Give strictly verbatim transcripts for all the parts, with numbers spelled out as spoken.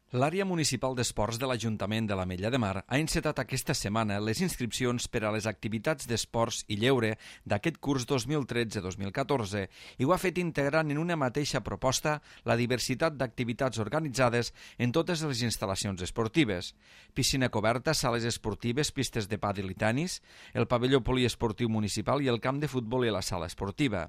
L'àrea municipal d'esports de l'Ajuntament de l'Ametlla de Mar ha encetat aquesta setmana les inscripcions per a les activitats d'esports i lleure d'aquest curs dos mil tretze dos mil catorze i ho ha fet integrant en una mateixa proposta la diversitat d'activitats organitzades en totes les instal·lacions esportives: piscina coberta, sales esportives, pistes de pàdel i tenis, el pavelló poliesportiu municipal i el camp de futbol i la sala esportiva.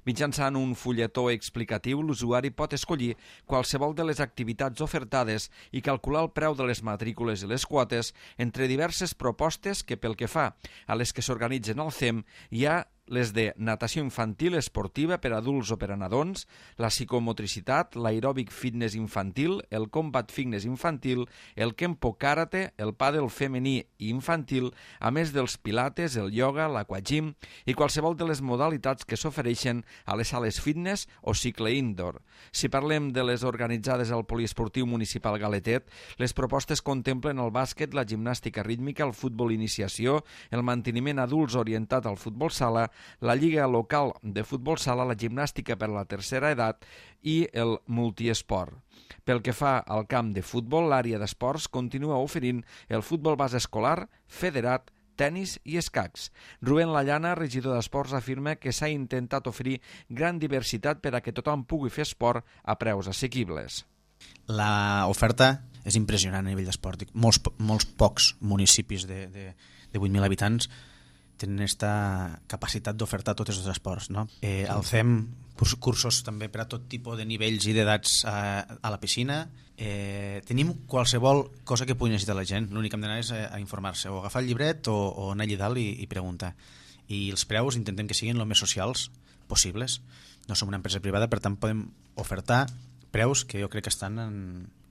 Mitjançant un fulletó explicatiu, l'usuari pot escollir qualsevol de les activitats ofertades i calcular el preu de les matrícules i les quotes entre diverses propostes que, pel que fa a les que s'organitzen al C E M, hi ha les de natació infantil esportiva per adults o per a nadons, la psicomotricitat, l'aeròbic fitness infantil, el combat fitness infantil, el kempo karate, el pàdel femení i infantil, a més dels pilates, el ioga, l'aquagym i qualsevol de les modalitats que s'ofereixen a les sales fitness o cicle indoor. Si parlem de les organitzades al poliesportiu municipal Galetet, les propostes contemplen el bàsquet, la gimnàstica rítmica, el futbol iniciació, el manteniment adults orientat al futbol sala, la lliga local de futbol sala, la gimnàstica per a la tercera edat i el multiesport. Pel que fa al camp de futbol, l'àrea d'esports continua oferint el futbol base escolar, federat, tenis i escacs. Rubén Lallana, regidor d'Esports, afirma que s'ha intentat oferir gran diversitat per a que tothom pugui fer esport a preus assequibles. L'oferta és impressionant a nivell d'esport. Molts, molts pocs municipis de, de, de vuit mil habitants tenen aquesta capacitat d'ofertar tots els esports, no? Eh, el C E M, cursos també per a tot tipus de nivells i d'edats a, a la piscina. Eh, tenim qualsevol cosa que pugui necessitar la gent. L'únic que hem d'anar és a, a informar-se, o agafar el llibret o, o anar allà dalt i, i preguntar. I els preus intentem que siguin el més socials possibles. No som una empresa privada, per tant podem ofertar preus que jo crec que estan en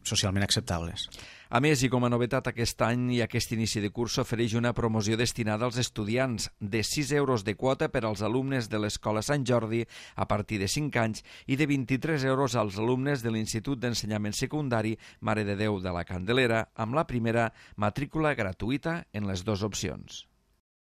socialment acceptables. A més, i com a novetat aquest any i aquest inici de curs, s'ofereix una promoció destinada als estudiants de sis euros de quota per als alumnes de l'Escola Sant Jordi a partir de cinc anys i de vint-i-tres euros als alumnes de l'Institut d'Ensenyament Secundari Mare de Déu de la Candelera, amb la primera matrícula gratuïta en les dues opcions.